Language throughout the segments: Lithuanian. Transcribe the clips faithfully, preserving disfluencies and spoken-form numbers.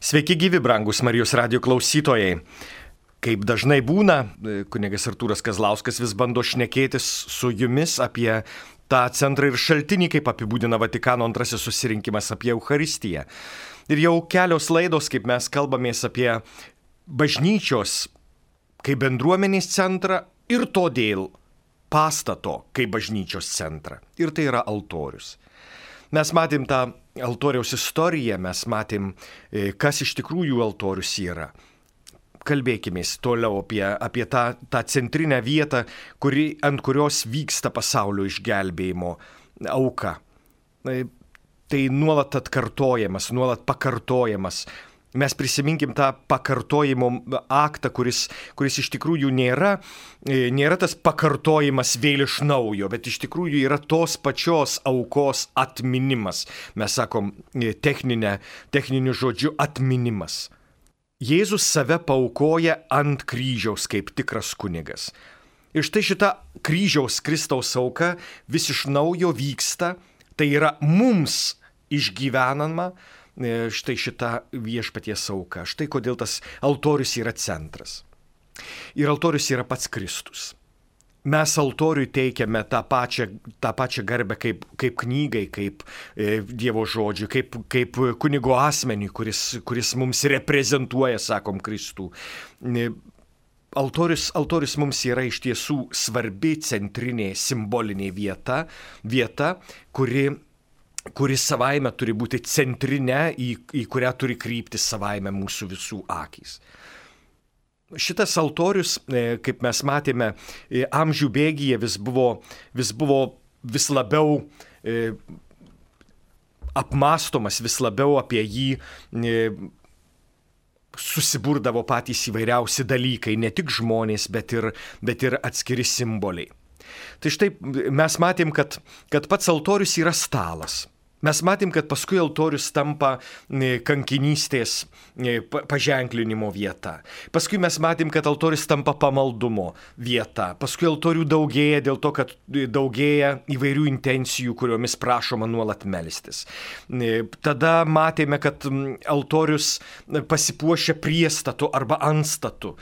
Sveiki gyvi, brangus Marijos radijo klausytojai. Kaip dažnai būna, kunigas Artūras Kazlauskas vis bando šnekėtis su jumis apie tą centrą ir šaltinį, kaip apibūdina Vatikano antrasis susirinkimas apie Eucharistiją. Ir jau kelios laidos, kaip mes kalbamės apie bažnyčios kaip bendruomenės centrą ir todėl pastato kaip bažnyčios centrą. Ir tai yra altorius. Mes matėm tą altoriaus istoriją, mes matėm, kas iš tikrųjų altorius yra. Kalbėkime toliau apie, apie tą, tą centrinę vietą, kuri, ant kurios vyksta pasaulio išgelbėjimo auka. Tai nuolat atkartojamas, nuolat pakartojamas. Mes prisiminkim tą pakartojimo aktą, kuris, kuris iš tikrųjų nėra, nėra tas pakartojimas vėl iš naujo, bet iš tikrųjų yra tos pačios aukos atminimas. Mes sakom techninę, techniniu žodžiu atminimas. Jėzus save paaukoja ant kryžiaus kaip tikras kunigas. Ir štai šita kryžiaus Kristaus auka vis iš naujo vyksta, tai yra mums išgyvenama, štai šita viešpaties auka. Štai kodėl tas altorius yra centras. Ir altorius yra pats Kristus. Mes altoriui teikiame tą pačią, tą pačią garbę kaip, kaip knygai, kaip e, Dievo žodžiui, kaip, kaip kunigo asmeniui, kuris, kuris mums reprezentuoja, sakom, Kristų. E, altorius, altorius mums yra iš tiesų svarbi centrinė simbolinė vieta, vieta, kuri kuris savaime turi būti centrinė, į, į kurią turi kryptis savaime mūsų visų akys. Šitas altorius, kaip mes matėme, amžių bėgyje vis buvo vis, buvo vis labiau e, apmąstomas, vis labiau apie jį e, susiburdavo patys įvairiausi dalykai, ne tik žmonės, bet ir, bet ir atskiri simboliai. Tai štai mes matėm, kad, kad pats altorius yra stalas. Mes matėm, kad paskui altorius tampa kankinystės paženklinimo vieta. Paskui mes matėm, kad altorius tampa pamaldumo vieta. Paskui altorių daugėja dėl to, kad daugėja įvairių intencijų, kuriomis prašoma nuolat melstis. Tada matėme, kad altorius pasipuošia priestatu arba antstatu.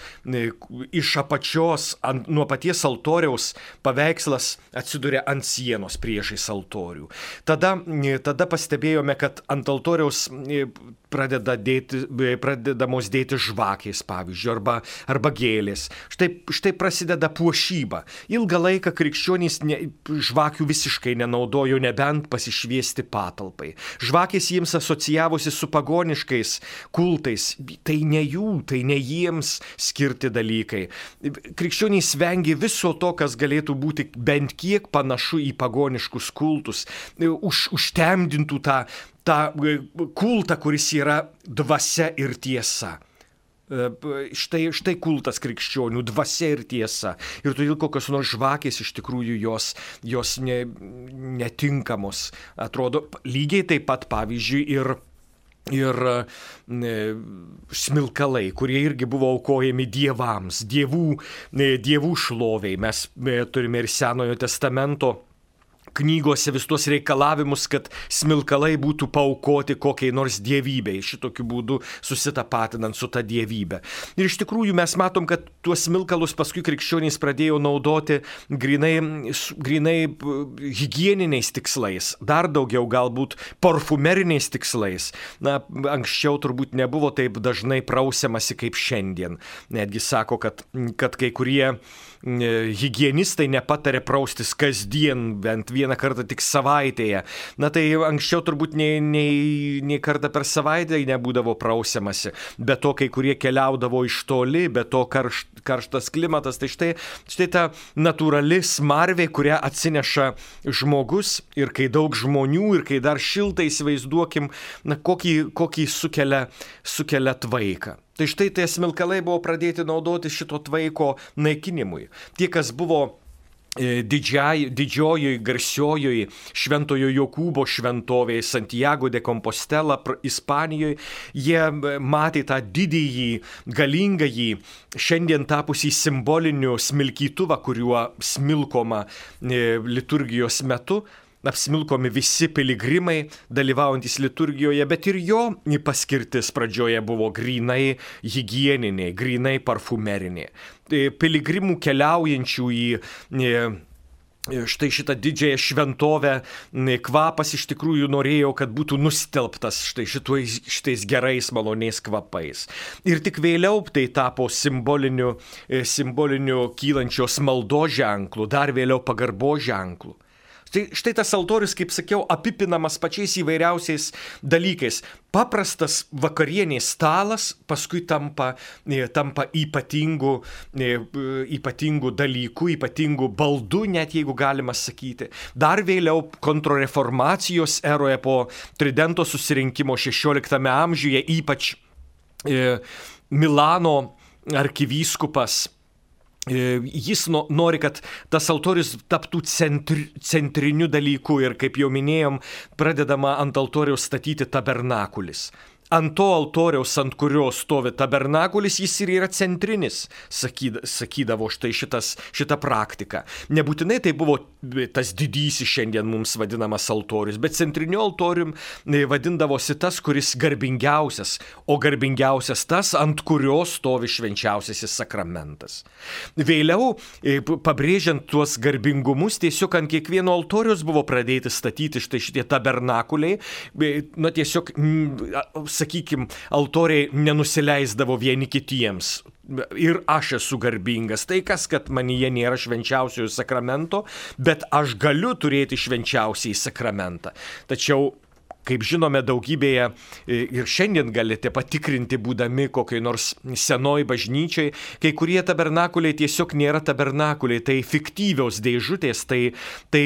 Iš apačios, ant, nuo paties altoriaus paveikslas atsiduria ant sienos priešais altorių. Tada Tada pastebėjome, kad ant altoriaus pradeda dėti, pradedamos dėti žvakės, pavyzdžiui, arba, arba gėlės. Štai, štai prasideda puošyba. Ilgą laiką krikščionys ne, žvakių visiškai nenaudojo, nebent pasišviesti patalpai. Žvakės jiems asocijavosi su pagoniškais kultais. Tai ne jų, tai ne jiems skirti dalykai. Krikščionys vengė viso to, kas galėtų būti bent kiek panašu į pagoniškus kultus. Už, užtemdintų tą tą kultą, kuris yra dvasia ir tiesa. Štai, štai kultas krikščionių, dvasia ir tiesa. Ir todėl kokios nors žvakės iš tikrųjų jos, jos ne, netinkamos. Atrodo, lygiai taip pat, pavyzdžiui, ir Ir e, smilkalai, kurie irgi buvo aukojami dievams, dievų, e, dievų šloviai. Mes e, turime ir Senojo testamento knygose vis tuos reikalavimus, kad smilkalai būtų paaukoti kokiai nors dievybei, šitokiu būdu susitapatinant su ta dievybė. Ir iš tikrųjų mes matom, kad tuos smilkalus paskui krikščionys pradėjo naudoti grinai, grinai higieniniais tikslais, dar daugiau galbūt parfumeriniais tikslais. Na, anksčiau turbūt nebuvo taip dažnai prausiamasi kaip šiandien. Netgi sako, kad, kad kai kurie higienistai nepatarė praustis kasdien, bent vieną kartą tik savaitėje. Na tai anksčiau turbūt nei, nei, nei kartą per savaitę nebūdavo prausiamasi. Be to, kai kurie keliaudavo iš toli, be to karš, karštas klimatas. Tai štai, štai ta natūrali smarvė, kurią atsineša žmogus ir kai daug žmonių ir kai dar šiltai įsivaizduokim, na, kokį, kokį sukelia, sukelia tvaiką. Tai štai tie smilkalai buvo pradėti naudoti šito tvaiko naikinimui. Tie, kas buvo didžiai, didžiojoj, garsiojoje Šventojo Jokūbo šventovėje Santiago de Compostela, Ispanijoje, jie matė tą didįjį, galingąjį, šiandien tapusį simboliniu smilkytuvą, kuriuo smilkoma liturgijos metu. apsmilkomi visi piligrimai dalyvaujantys liturgijoje, bet ir jo paskirtis pradžioje buvo grinai higieninė, grinai parfumerinė. Piligrimų keliaujančių į štai šitą didžiąją šventovę kvapas iš tikrųjų norėjo, kad būtų nustelbtas štai šitais, šitais gerais maloniais kvapais. Ir tik vėliau tai tapo simboliniu, simboliniu kylančios maldos ženklu, dar vėliau pagarbos ženklu. Tai štai tas altorius, kaip sakiau, apipinamas pačiais įvairiausiais dalykais. Paprastas vakarienės stalas paskui tampa, tampa ypatingų, ypatingų dalykų, ypatingų baldų, net jeigu galima sakyti. Dar vėliau kontrreformacijos eroje po Tridento susirinkimo šešioliktame amžiuje, ypač e, Milano arkivyskupas, jis nori, kad tas altorius taptų centri, centriniu dalyku ir, kaip jau minėjom, pradedama ant altoriaus statyti tabernakulis. Ant to altoriaus, ant kurio stovi tabernakulis, jis ir yra centrinis, sakydavo štai šitas, šita praktika. Nebūtinai tai buvo tas didysis šiandien mums vadinamas altorius, bet centriniu altorium vadindavosi tas, kuris garbingiausias, o garbingiausias tas, ant kurio stovi švenčiausiasis sakramentas. Vėliau, pabrėžiant tuos garbingumus, tiesiog ant kiekvieno altoriaus buvo pradėti statyti štai šitie tabernakuliai, na tiesiog, sakykime, altoriai nenusileisdavo vieni kitiems. Ir aš esu garbingas. Tai kas, kad manyje nėra švenčiausiojo sakramento, bet aš galiu turėti švenčiausiai sakramentą. Tačiau, kaip žinome, daugybėje ir šiandien galite patikrinti, būdami kokiai nors senoj bažnyčiai, kai kurie tabernakuliai tiesiog nėra tabernakuliai, tai fiktyvios dėžutės, tai, tai,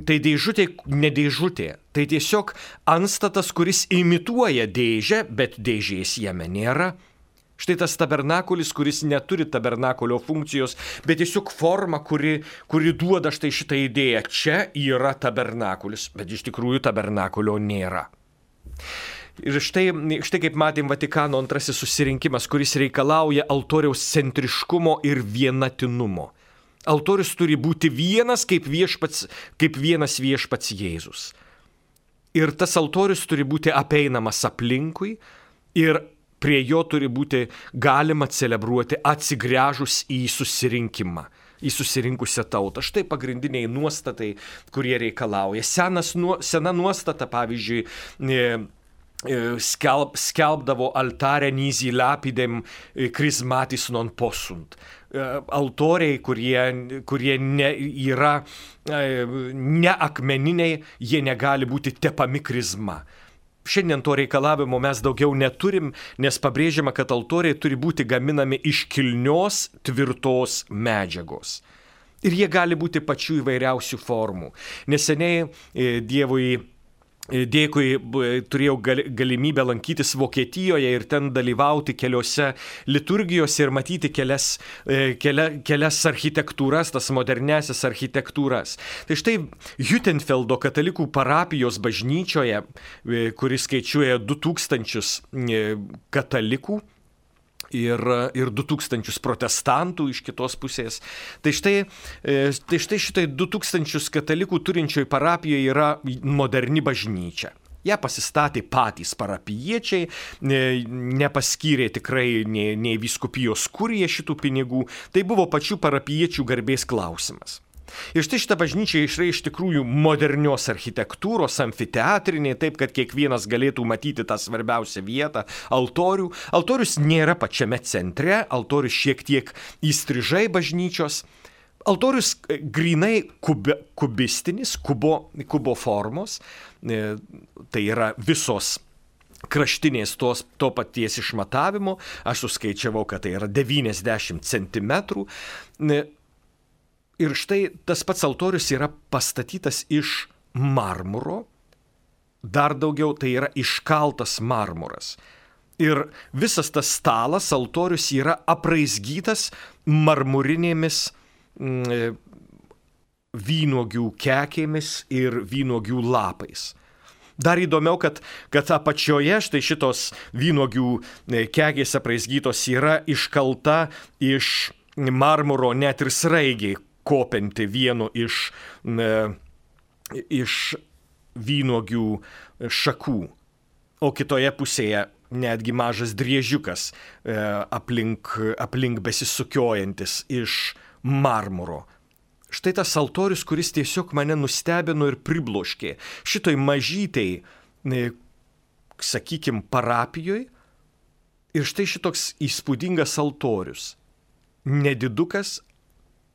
tai dėžutė ne dėžutė. Tai tiesiog antstatas, kuris imituoja dėžę, bet dėžės jame nėra. Štai tas tabernakulis, kuris neturi tabernakulio funkcijos, bet tiesiog forma, kuri, kuri duoda štai šitą idėją. Čia yra tabernakulis, bet iš tikrųjų tabernakulio nėra. Ir štai, štai kaip matėm Vatikano antrasis susirinkimas, kuris reikalauja altoriaus centriškumo ir vienatinumo. Altorius turi būti vienas kaip, viešpats, kaip vienas viešpats Jėzus. Ir tas altorius turi būti apeinamas aplinkui ir prie jo turi būti galima celebruoti atsigręžus į susirinkimą, į susirinkusią tautą. Štai pagrindiniai nuostatai, kurie reikalauja. Senas, sena nuostata, pavyzdžiui, skelb, skelbdavo altare nisi lapidem chrismatis non possunt. Altoriai, kurie, kurie ne, yra ne akmeniniai, jie negali būti tepami krizma. Šiandien to reikalavimo mes daugiau neturim, nes pabrėžiama, kad altoriai turi būti gaminami iš kilnios, tvirtos medžiagos. Ir jie gali būti pačių įvairiausių formų. Neseniai Dievui dėkui turėjau galimybę lankytis Vokietijoje ir ten dalyvauti keliose liturgijose ir matyti kelias, kelia, kelias architektūras, tas modernesias architektūras. Tai štai Hüttenfeldo katalikų parapijos bažnyčioje, kuris skaičiuoja du tūkstančius katalikų, Ir, ir du tūkstančius protestantų iš kitos pusės. Tai štai, tai štai šitai du tūkstančius katalikų turinčioj parapijoje yra moderni bažnyčia. Ja pasistatė patys parapijiečiai, nepaskyrė tikrai nei, nei vyskupijos kurija šitų pinigų. Tai buvo pačių parapijiečių garbės klausimas. Ir štai šitą bažnyčią yra iš tikrųjų modernios architektūros, amfiteatrinė, taip, kad kiekvienas galėtų matyti tą svarbiausią vietą – altorių. Altorius nėra pačiame centre, altorius šiek tiek įstrižai bažnyčios. Altorius grinai kube, kubistinis, kubo, kubo formos, tai yra visos kraštinės tos, to paties išmatavimo. Aš suskaičiavau, kad tai yra devyniasdešimt centimetrų. Ir štai tas pats altorius yra pastatytas iš marmuro, dar daugiau tai yra iškaltas marmuras. Ir visas tas stalas, altorius yra apraizgytas marmurinėmis mm, vynuogių kekėmis ir vynuogių lapais. Dar įdomiau, kad, kad apačioje štai šitos vynuogių kekės apraizgytos yra iškalta iš marmuro net ir sraigiai, kopianti vienu iš, iš vynuogių šakų, o kitoje pusėje netgi mažas driežiukas e, aplink, aplink besisukiojantis iš marmuro. Štai tas altorius, kuris tiesiog mane nustebino ir pribloškė. Šitoj mažytei, e, sakykime, parapijoje. Ir štai šitoks įspūdingas altorius. Nedidukas,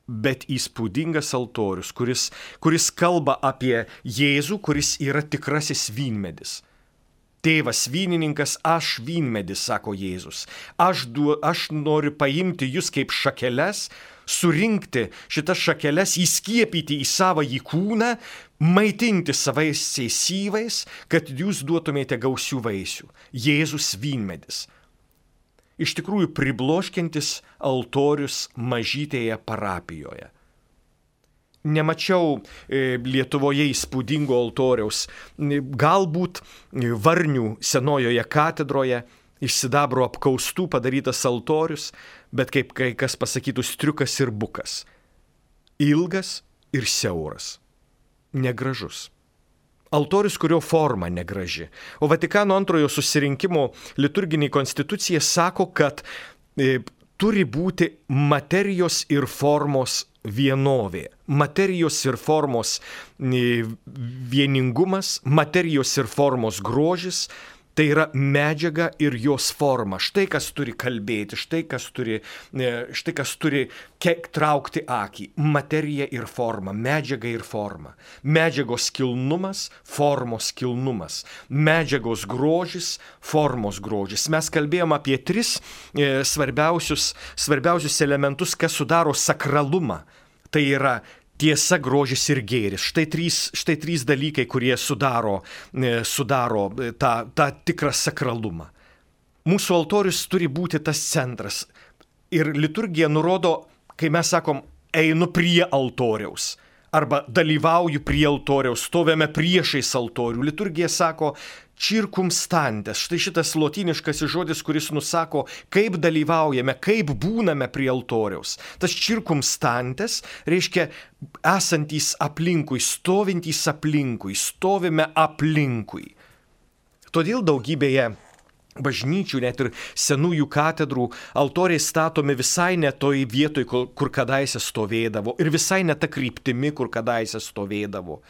bet įspūdingas altorius, kuris, kuris kalba apie Jėzų, kuris yra tikrasis vynmedis. Tėvas vynininkas, aš vynmedis, sako Jėzus. Aš, du, aš noriu paimti jūs kaip šakeles, surinkti šitas šakeles, įskiepyti į savąjį kūną, maitinti savaisiais syvais, kad jūs duotumėte gausių vaisių. Jėzus vynmedis. Iš tikrųjų pribloškiantis altorius mažytėje parapijoje. Nemačiau Lietuvoje įspūdingo altoriaus, galbūt Varnių senojoje katedroje iš sidabro apkaustų padarytas altorius, bet kaip kai kas pasakytų, striukas ir bukas. Ilgas ir siauras. Negražus. Altorius, kurio forma negraži. O Vatikano antrojo susirinkimo liturginė konstitucija sako, kad e, turi būti materijos ir formos vienovė. Materijos ir formos e, vieningumas, materijos ir formos grožis, tai yra medžiaga ir jos forma. Štai kas turi kalbėti, štai kas turi, štai kas turi kiek traukti akį. Materija ir forma, medžiaga ir forma. Medžiagos kilnumas, formos kilnumas. Medžiagos grožis, formos grožis. Mes kalbėjom apie tris e, svarbiausius, svarbiausius elementus, kas sudaro sakralumą. Tai yra tiesa, grožis ir gėris. Štai trys, štai trys dalykai, kurie sudaro, sudaro tą, tą tikrą sakralumą. Mūsų altorius turi būti tas centras. Ir liturgija nurodo, kai mes sakom, einu prie altoriaus. Arba dalyvauju prie altoriaus, stovėme priešais altorių. Liturgija sako, circumstantes. Štai šitas lotyniškasis žodis, kuris nusako, kaip dalyvaujame, kaip būname prie altoriaus. Tas circumstantes reiškia esantys aplinkui, stovintys aplinkui, stovime aplinkui. Todėl daugybėje bažnyčių, net ir senųjų katedrų, altoriai statomi visai ne toj vietoj, kur kadaise stovėdavo, ir visai ne ta kryptimi, kur kadaise stovėdavo.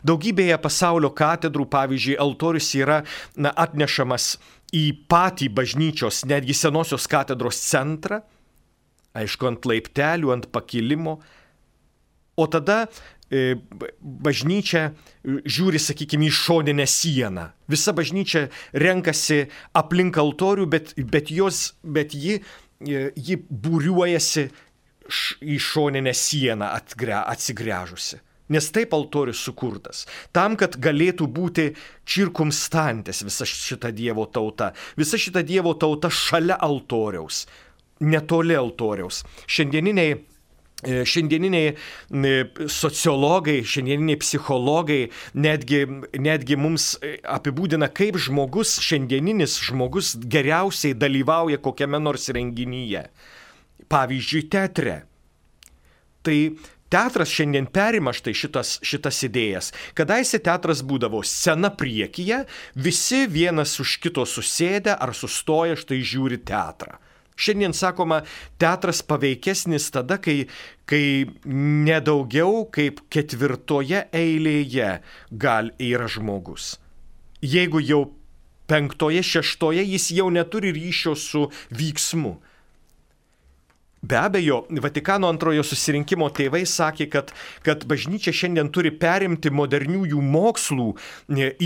Daugybėje pasaulio katedrų, pavyzdžiui, altorius yra na, atnešamas į patį bažnyčios, netgi senosios katedros centrą, aišku, ant laiptelių, ant pakilimo, o tada bažnyčia žiūri, sakykime, į šoninę sieną. Visa bažnyčia renkasi aplink altorių, bet, bet, jos, bet ji, ji būriuojasi į šoninę sieną atgre, atsigręžusi. Nes taip altorius sukurtas. Tam, kad galėtų būti circumstantes visa šita Dievo tauta. Visa šita Dievo tauta šalia altoriaus, netoli altoriaus. Šiandieniniai Šiandieniniai sociologai, šiandieniniai psichologai netgi, netgi mums apibūdina, kaip žmogus, šiandieninis žmogus geriausiai dalyvauja kokiame nors renginyje. Pavyzdžiui, teatre. Tai teatras šiandien perima štai šitas, šitas idėjas. Kadaise teatras būdavo scena priekyje, visi vienas už kito susėdę ar sustoję štai žiūri teatrą. Šiandien sakoma, teatras paveikesnis tada, kai, kai nedaugiau kaip ketvirtoje eilėje gal yra žmogus. Jeigu jau penktoje, šeštoje, jis jau neturi ryšio su vyksmu. Be abejo, Vatikano antrojo susirinkimo tėvai sakė, kad, kad bažnyčia šiandien turi perimti moderniųjų mokslų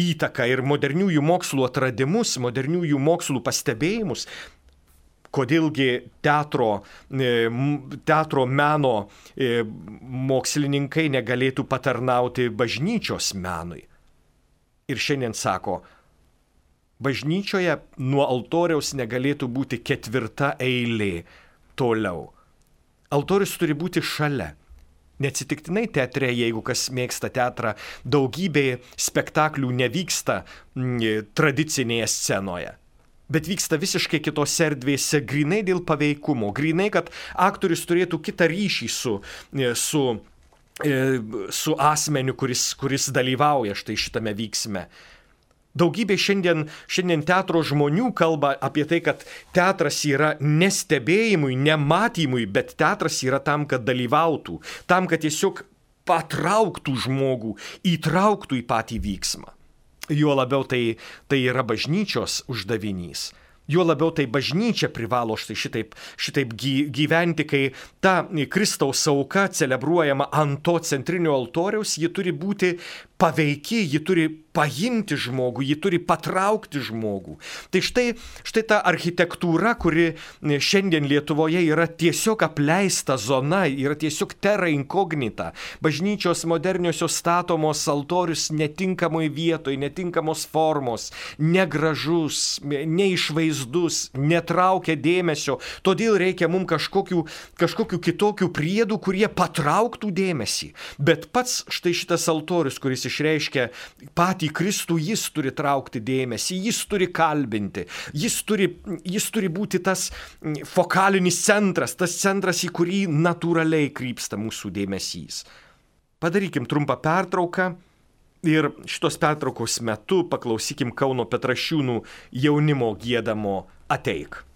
įtaką ir moderniųjų mokslų atradimus, moderniųjų mokslų pastebėjimus. Kodėlgi teatro, teatro meno mokslininkai negalėtų patarnauti bažnyčios menui. Ir šiandien sako, bažnyčioje nuo altoriaus negalėtų būti ketvirta eilė toliau. Altorius turi būti šalia. Neatsitiktinai teatre, jeigu kas mėgsta teatrą, daugybė spektaklių nevyksta tradicinėje scenoje. Bet vyksta visiškai kitose erdvėse, grinai dėl paveikumo, grinai, kad aktorius turėtų kitą ryšį su, su, su asmeniu, kuris, kuris dalyvauja štai šitame vyksme. Daugybė šiandien, šiandien teatro žmonių kalba apie tai, kad teatras yra ne stebėjimui, ne matymui, bet teatras yra tam, kad dalyvautų, tam, kad tiesiog patrauktų žmogų, įtrauktų į patį vyksmą. Juo labiau tai, tai yra bažnyčios uždavinys. Juo labiau tai bažnyčia privalo štai šitaip, šitaip gyventi, kai ta Kristaus auka celebruojama ant to centrinio altoriaus, ji turi būti paveiki, ji turi paimti žmogų, ji turi patraukti žmogų. Tai štai, štai ta architektūra, kuri šiandien Lietuvoje yra tiesiog apleista zona, yra tiesiog terra incognita. Bažnyčios moderniosios statomos altorius netinkamoj vietoj, netinkamos formos, negražus, neišvaizdus, netraukia dėmesio. Todėl reikia mums kažkokių, kažkokių kitokių priedų, kurie patrauktų dėmesį. Bet pats štai šitas altorius, kuris išreiškia patį Kristų, jis turi traukti dėmesį, jis turi kalbinti, jis turi, jis turi būti tas fokalinis centras, tas centras, į kurį natūraliai krypsta mūsų dėmesys. Padarykim trumpą pertrauką ir šitos pertraukos metu paklausykim Kauno Petrašiūnų jaunimo giedamo Ateik.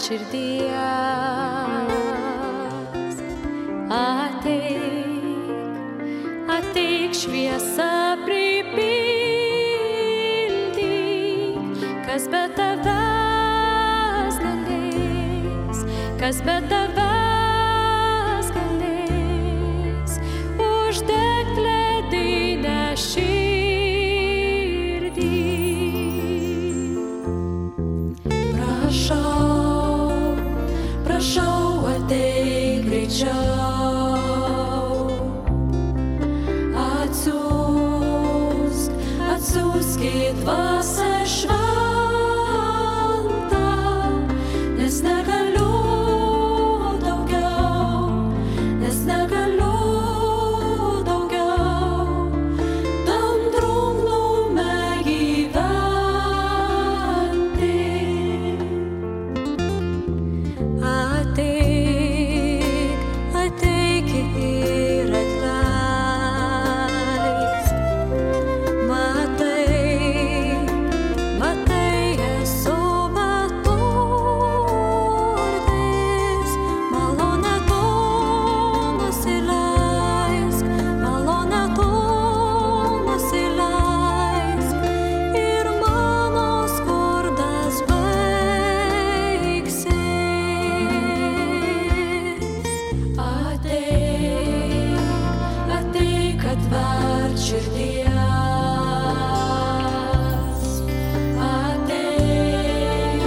Širdies. Ateik, ateik šviesą pripildyk, kas be tavęs galės, kas be tavęs galės, uždegt ledinę širdį. Prašau, prašau, ateik greičiau, atsiųsk, atsiųsk į dvasią šventą, nes negaliu daugiau, nes negaliu daugiau, tam drungnume gyventi. Ateik, ateik ir atleisk. Matai, matai, esu beturtis. Malonę tu nusileisk, malonę tu nusileisk, ir mano skurdas baigsis. Ateik, ateik atverk širdies. Ateik,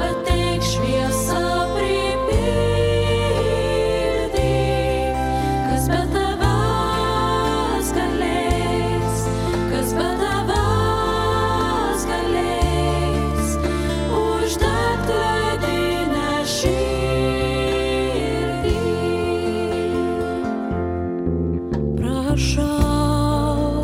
ateik šviesą pripildyk, kas be tavęs galės, kas be tavęs galės, uždegt ledinę širdį. Prašau,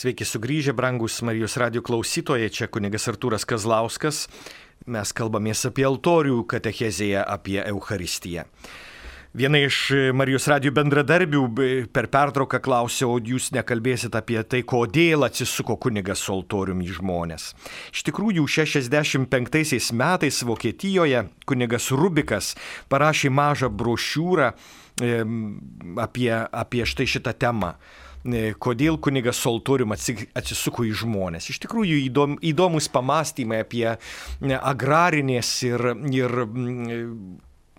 Sveiki sugrįžę, brangus Marijos radijo klausytojai, čia kunigas Artūras Kazlauskas. Mes kalbamės apie altorių katechezėje, apie Eucharistiją. Viena iš Marijos radijo bendradarbių per pertrauką klausė, o jūs nekalbėsit apie tai, kodėl atsisuko kunigas su altoriumi į žmonės. Iš tikrųjų, šešiasdešimt penktaisiais metais Vokietijoje kunigas Rubikas parašė mažą brošiūrą apie, apie štai šitą temą. Kodėl kunigas su altoriumi atsisuko į žmonės. Iš tikrųjų įdom, įdomus pamastymai apie agrarinės ir, ir,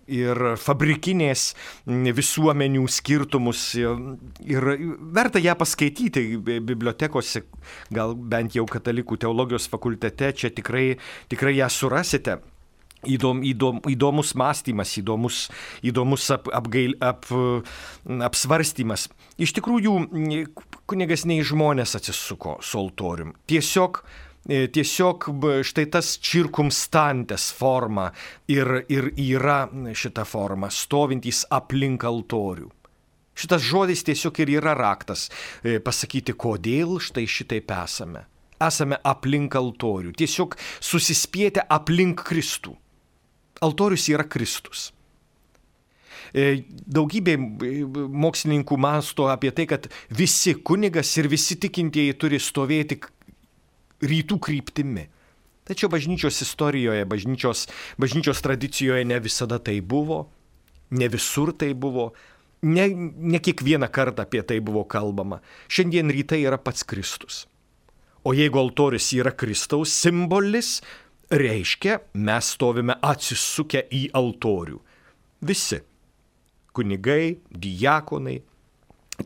ir fabrikinės visuomenių skirtumus. Ir verta ją paskaityti bibliotekose, gal bent jau katalikų teologijos fakultete, čia tikrai, tikrai ją surasite. Įdom, įdom, įdomus mąstymas, įdomus, įdomus ap, apgail, ap, apsvarstymas. Iš tikrųjų, kunigas ne į žmonės atsisuko su altorium. Tiesiog, tiesiog štai tas circumstantes forma ir, ir yra šita forma, stovintys aplink altorių. Šitas žodis tiesiog ir yra raktas pasakyti, kodėl štai šitaip esame. Esame aplink altorių, tiesiog susispietę aplink Kristų. Altorius yra Kristus. Daugybė mokslininkų mąsto apie tai, kad visi kunigas ir visi tikintieji turi stovėti rytų kryptimi. Tačiau bažnyčios istorijoje, bažnyčios, bažnyčios tradicijoje ne visada tai buvo, ne visur tai buvo, ne, ne kiekvieną kartą apie tai buvo kalbama. Šiandien rytai yra pats Kristus. O jeigu altorius yra Kristaus simbolis, reiškia, mes stovime atsisukę į altorių. Visi. Kunigai, diakonai,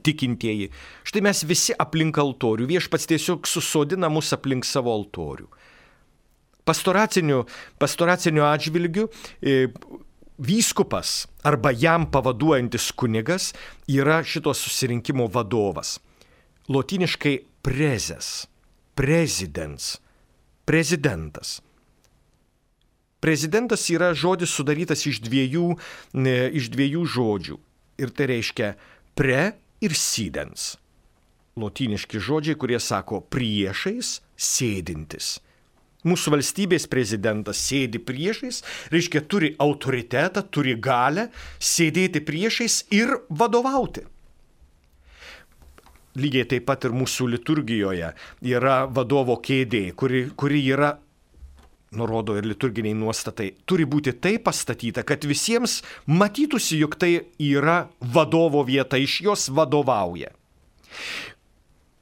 tikintieji. Štai mes visi aplink altorių. Viešpats tiesiog susodina mus aplink savo altorių. Pastoraciniu, pastoraciniu atžvilgiu e, vyskupas arba jam pavaduojantis kunigas yra šito susirinkimo vadovas. Lotyniškai prezes, prezidens, prezidentas. Prezidentas yra žodis sudarytas iš dviejų, ne, iš dviejų žodžių. Ir tai reiškia pre ir sidens. Lotyniški žodžiai, kurie sako priešais, sėdintis. Mūsų valstybės prezidentas sėdi priešais, reiškia turi autoritetą, turi galią sėdėti priešais ir vadovauti. Lygiai taip pat ir mūsų liturgijoje yra vadovo kėdė, kuri, kuri yra, nurodo ir liturginiai nuostatai, turi būti taip pastatyta, kad visiems matytųsi, jog tai yra vadovo vieta, iš jos vadovauja.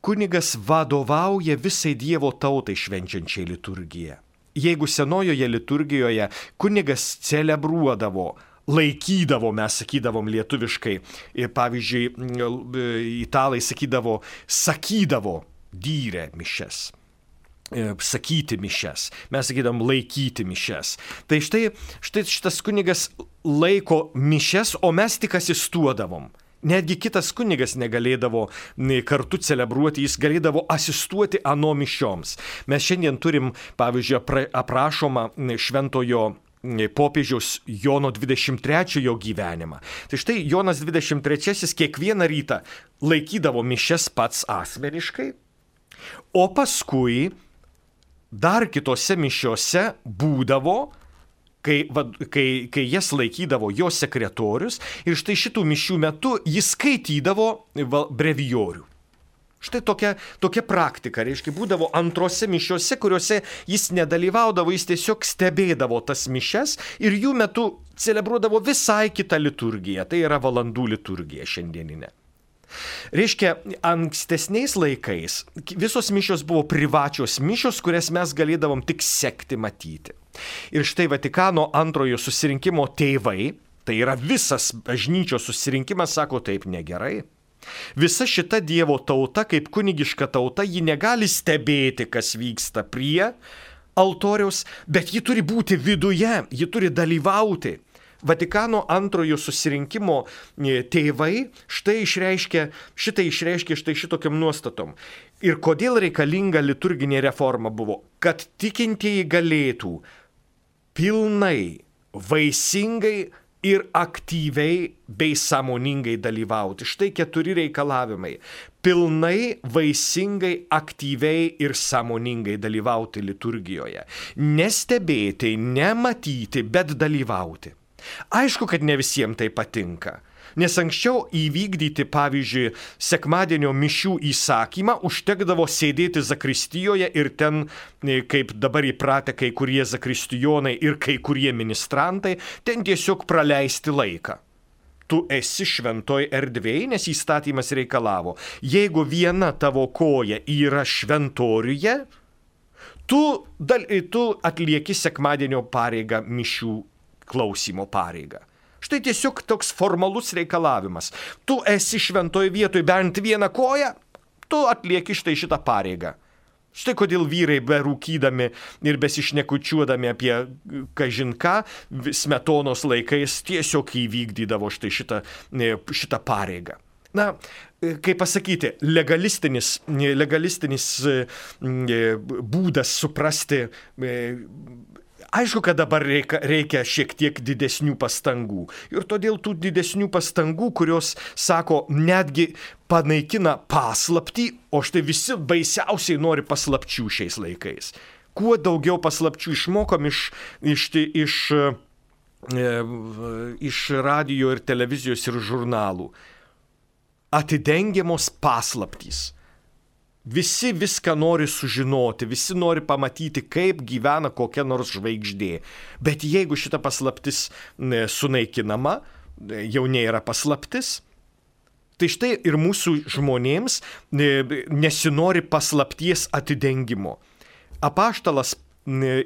Kunigas vadovauja visai Dievo tautai švenčiančiai liturgiją. Jeigu senojoje liturgijoje kunigas celebruodavo, laikydavo, mes sakydavom lietuviškai, pavyzdžiui, italai sakydavo, sakydavo dyrė mišes. Sakyti mišes, mes sakydam laikyti mišes. Tai štai, štai šitas kunigas laiko mišes, o mes tik asistuodavom. Netgi kitas kunigas negalėdavo kartu celebruoti, jis galėdavo asistuoti ano mišioms. Mes šiandien turim, pavyzdžiui, aprašomą šventojo popiežiaus Jono dvidešimt trečiojo gyvenimą. Tai štai Jonas dvidešimt trečiasis kiekvieną rytą laikydavo mišes pats asmeniškai, o paskui dar kitose mišiose būdavo, kai, kai, kai jas laikydavo jo sekretorius ir štai šitų mišių metu jis skaitydavo brevijorių. Štai tokia, tokia praktika, reiškia, būdavo antrose mišiose, kuriuose jis nedalyvaudavo, jis tiesiog stebėdavo tas mišes ir jų metu celebruodavo visai kitą liturgiją, tai yra valandų liturgija šiandieninė. Reiškia, ankstesniais laikais visos mišios buvo privačios mišios, kurias mes galėdavom tik sekti matyti. Ir štai Vatikano antrojo susirinkimo tėvai, tai yra visas bažnyčios susirinkimas, sako taip negerai. Visa šita Dievo tauta, kaip kunigiška tauta, ji negali stebėti, kas vyksta prie altoriaus, bet ji turi būti viduje, ji turi dalyvauti. Vatikano antrojo susirinkimo tėvai štai išreiškia, šitai išreiškia štai šitokiam nuostatom. Ir kodėl reikalinga liturginė reforma buvo? Kad tikintieji galėtų pilnai, vaisingai ir aktyviai bei sąmoningai dalyvauti. Štai keturi reikalavimai. pilnai, vaisingai, aktyviai ir sąmoningai dalyvauti liturgijoje. Nestebėti, nematyti, bet dalyvauti. Aišku, kad ne visiems tai patinka. Nes anksčiau įvykdyti, pavyzdžiui, sekmadienio mišių įsakymą užtekdavo sėdėti zakristijoje ir ten, kaip dabar įpratę kai kurie zakristijonai ir kai kurie ministrantai, ten tiesiog praleisti laiką. Tu esi šventoj erdvėj, nes įstatymas reikalavo. Jeigu viena tavo koja yra šventoriuje, tu, dal, tu atlieki sekmadienio pareigą, mišių klausimo pareigą. Štai tiesiog toks formalus reikalavimas. Tu esi šventoje vietoje bent vieną koją, tu atlieki štai šitą pareigą. Štai kodėl vyrai berūkydami ir besišnekučiuodami apie kažin ką, Smetonos laikais tiesiog įvykdydavo štai šitą, šitą pareigą. Na, kaip pasakyti, legalistinis, legalistinis būdas suprasti. Aišku, kad dabar reikia, reikia šiek tiek didesnių pastangų. Ir todėl tų didesnių pastangų, kurios, sako, netgi panaikina paslaptį, o štai visi baisiausiai nori paslapčių šiais laikais. Kuo daugiau paslapčių išmokom iš, iš, iš, e, iš radijo ir televizijos ir žurnalų. Atidengiamos paslaptys. Visi viską nori sužinoti, visi nori pamatyti, kaip gyvena kokia nors žvaigždė. Bet jeigu šita paslaptis sunaikinama, jau nėra paslaptis, tai štai ir mūsų žmonėms nesinori paslapties atidengimo. Apaštalas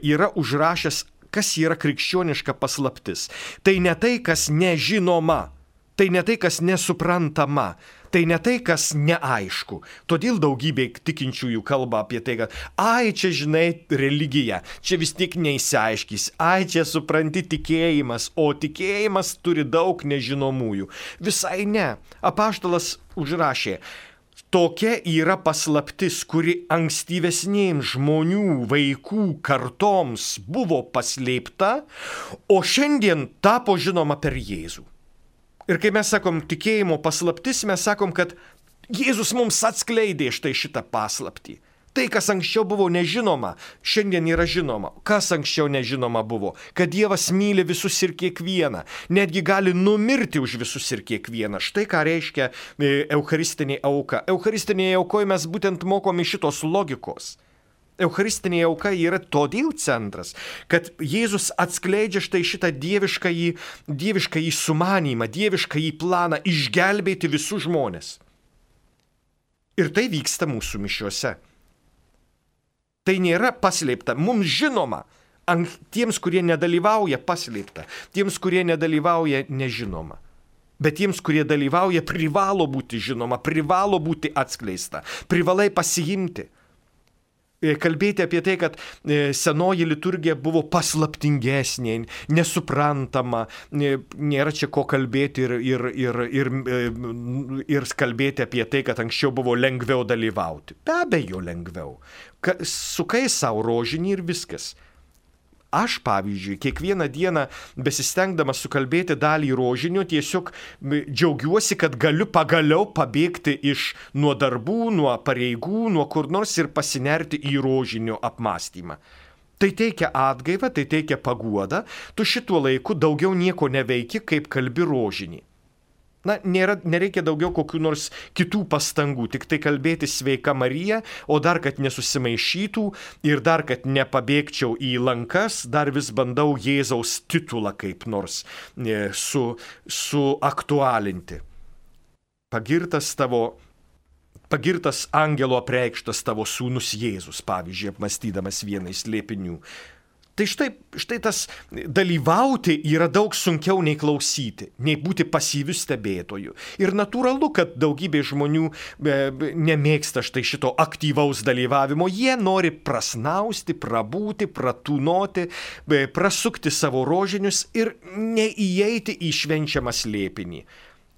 yra užrašęs, kas yra krikščioniška paslaptis. Tai ne tai, kas nežinoma, tai ne tai, kas nesuprantama. Tai ne tai, kas neaišku. Todėl daugybė tikinčiųjų kalba apie tai, kad ai, čia žinai religija, čia vis tiek neįsiaiškys, ai, čia supranti tikėjimas, o tikėjimas turi daug nežinomųjų. Visai ne. Apaštalas užrašė, tokia yra paslaptis, kuri ankstyvesnėms žmonių, vaikų kartoms buvo paslėpta, o šiandien tapo žinoma per Jėzų. Ir kai mes sakom tikėjimo paslaptis, mes sakom, kad Jėzus mums atskleidė štai šitą paslaptį. Tai, kas anksčiau buvo nežinoma, šiandien yra žinoma. Kas anksčiau nežinoma buvo? Kad Dievas myli visus ir kiekvieną. Netgi gali numirti už visus ir kiekvieną. Štai ką reiškia eucharistinė auka. Eucharistinėje aukoje mes būtent mokomi šitos logikos. Eucharistinė auka yra todėl centras, kad Jėzus atskleidžia štai šitą dieviškąjį, dieviškąjį sumanymą, dieviškąjį planą išgelbėti visus žmonės. Ir tai vyksta mūsų mišiuose. Tai nėra paslėpta, mums žinoma, tiems, kurie nedalyvauja, paslėpta, tiems, kurie nedalyvauja, nežinoma. Bet tiems, kurie dalyvauja, privalo būti žinoma, privalo būti atskleista, privalai pasiimti. Kalbėti apie tai, kad senoji liturgija buvo paslaptingesnė, nesuprantama, nėra čia ko kalbėti ir, ir, ir, ir, ir kalbėti apie tai, kad anksčiau buvo lengviau dalyvauti. Be abejo lengviau. Sukai savo rožinį ir viskas. Aš, pavyzdžiui, kiekvieną dieną besistengdamas sukalbėti dalį rožinio, tiesiog džiaugiuosi, kad galiu pagaliau pabėgti iš nuo darbų, nuo pareigų, nuo kur nors ir pasinerti į rožinio apmąstymą. Tai teikia atgaivą, tai teikia paguodą, tu šituo laiku daugiau nieko neveiki, kaip kalbi rožinį. Na, nėra, nereikia daugiau kokių nors kitų pastangų, tik tai kalbėti sveika Marija, o dar, kad nesusimaišytų ir dar, kad nepabėgčiau į lankas, dar vis bandau Jėzaus titulą kaip nors su, suaktualinti. Pagirtas tavo, pagirtas angelo apreikštas tavo sūnus Jėzus, pavyzdžiui, apmąstydamas vieną iš slėpinių. Tai štai, štai tas dalyvauti yra daug sunkiau nei klausyti, nei būti pasyviu stebėtoju. Ir natūralu, kad daugybė žmonių e, nemėgsta štai šito aktyvaus dalyvavimo. Jie nori prasnausti, prabūti, pratūnoti, e, prasukti savo rožinius ir neįeiti į švenčiamą slėpinį.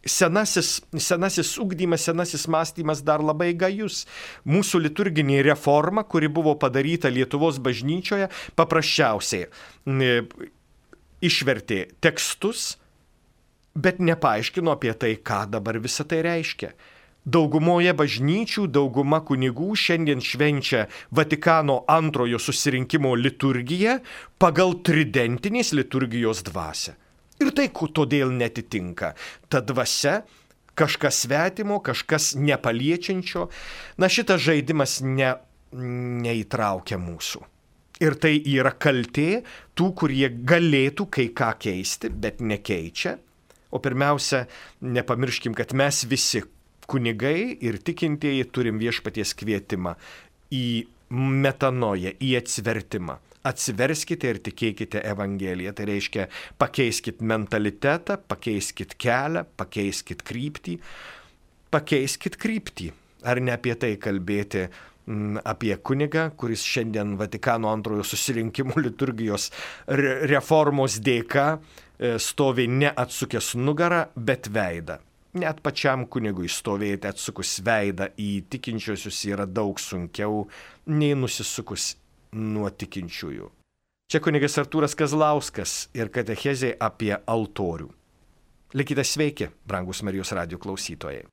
Senasis, senasis ugdymas, senasis mąstymas dar labai gajus. Mūsų liturginė reforma, kuri buvo padaryta Lietuvos bažnyčioje, paprasčiausiai e, išvertė tekstus, bet nepaaiškino apie tai, ką dabar visą tai reiškia. Daugumoje bažnyčių dauguma kunigų šiandien švenčia Vatikano antrojo susirinkimo liturgiją pagal tridentinės liturgijos dvasią. Ir tai todėl netitinka. Ta dvasia kažkas svetimo, kažkas nepaliečiančio. Na, šitas žaidimas ne, neįtraukia mūsų. Ir tai yra kaltė tų, kurie galėtų kai ką keisti, bet nekeičia. O pirmiausia, nepamirškim, kad mes visi kunigai ir tikintieji turim viešpaties kvietimą į metanoją, į atsivertimą. Atsiverskite ir tikėkite Evangeliją. Tai reiškia, pakeiskit mentalitetą, pakeiskit kelią, pakeiskit kryptį. Pakeiskit kryptį. Ar ne apie tai kalbėti, m, apie kunigą, kuris šiandien Vatikano antrojo susirinkimo liturgijos reformos dėka stovi ne atsukęs nugarą, bet veidą. Net pačiam kunigui stovėti atsukus veidą į tikinčiosius yra daug sunkiau nei nusisukus nuo tikinčiųjų. Čia kunigas Artūras Kazlauskas ir katechezė apie altorių. Likite sveiki, brangus Marijos radijo klausytojai.